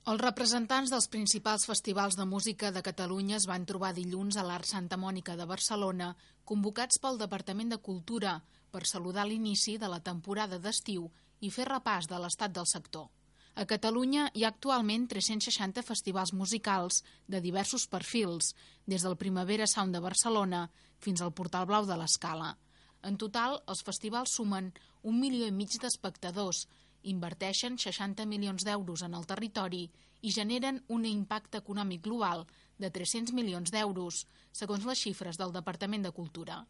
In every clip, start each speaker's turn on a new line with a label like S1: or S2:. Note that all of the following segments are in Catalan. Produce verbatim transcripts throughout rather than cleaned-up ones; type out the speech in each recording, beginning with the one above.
S1: Els representants dels principals festivals de música de Catalunya es van trobar dilluns a l'Arc Santa Mònica de Barcelona, convocats pel Departament de Cultura per saludar l'inici de la temporada d'estiu i fer repàs de l'estat del sector. A Catalunya hi ha actualment tres-cents seixanta festivals musicals de diversos perfils, des del Primavera Sound de Barcelona fins al Portal Blau de l'Escala. En total, els festivals sumen un milió i mig d'espectadors, inverteixen seixanta milions d'euros en el territori i generen un impacte econòmic global de tres-cents milions d'euros, segons les xifres del Departament de Cultura.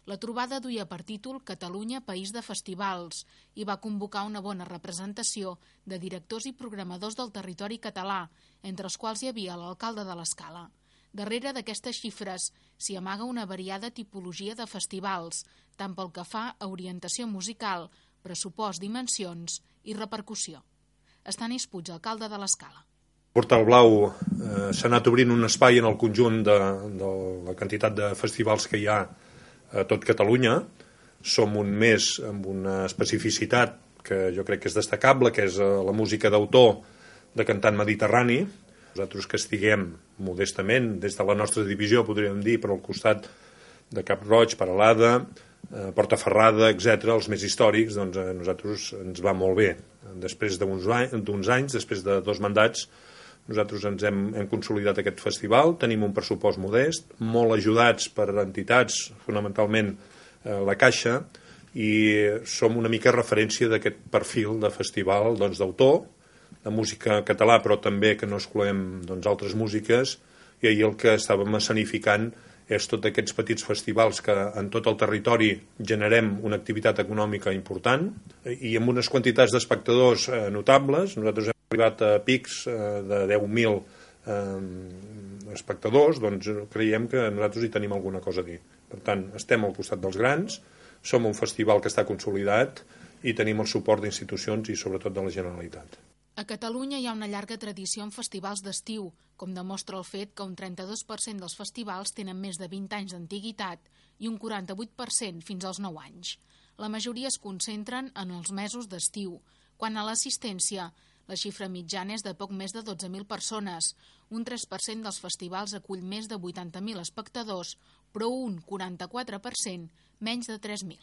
S1: La trobada duia per títol Catalunya, país de festivals, i va convocar una bona representació de directors i programadors del territori català, entre els quals hi havia l'alcalde de l'Escala. Darrere d'aquestes xifres s'hi amaga una variada tipologia de festivals, tant pel que fa a orientació musical, pressupost, dimensions i repercussió. Estanis Puig, alcalde de l'Escala.
S2: Portal Blau eh, s'ha anat obrint un espai en el conjunt de, de la quantitat de festivals que hi ha a tot Catalunya. Som un més amb una especificitat que jo crec que és destacable, que és la música d'autor de cantant mediterrani. Nosaltres que estiguem modestament, des de la nostra divisió, podríem dir, per al costat de Cap Roig, Peralada, eh, Portaferrada, etcètera, els més històrics, doncs a nosaltres ens va molt bé. Després d'uns anys, després de dos mandats, nosaltres ens hem, hem consolidat aquest festival, tenim un pressupost modest, molt ajudats per entitats, fonamentalment eh, la Caixa, i som una mica referència d'aquest perfil de festival doncs, d'autor, de música català, però també que no excloem doncs, altres músiques, i ahir el que estàvem escenificant és tots aquests petits festivals que en tot el territori generem una activitat econòmica important i amb unes quantitats d'espectadors eh, notables. Nosaltres hem arribat a pics eh, de deu mil eh, espectadors, doncs creiem que nosaltres hi tenim alguna cosa a dir. Per tant, estem al costat dels grans, som un festival que està consolidat i tenim el suport d'institucions i sobretot de la Generalitat.
S1: A Catalunya hi ha una llarga tradició en festivals d'estiu, com demostra el fet que un trenta-dos per cent dels festivals tenen més de vint anys d'antiguitat i un quaranta-vuit per cent fins als nou anys. La majoria es concentren en els mesos d'estiu. Quant a l'assistència, la xifra mitjana és de poc més de dotze mil persones. Un tres per cent dels festivals acull més de vuitanta mil espectadors, però un quaranta-quatre per cent menys de tres mil.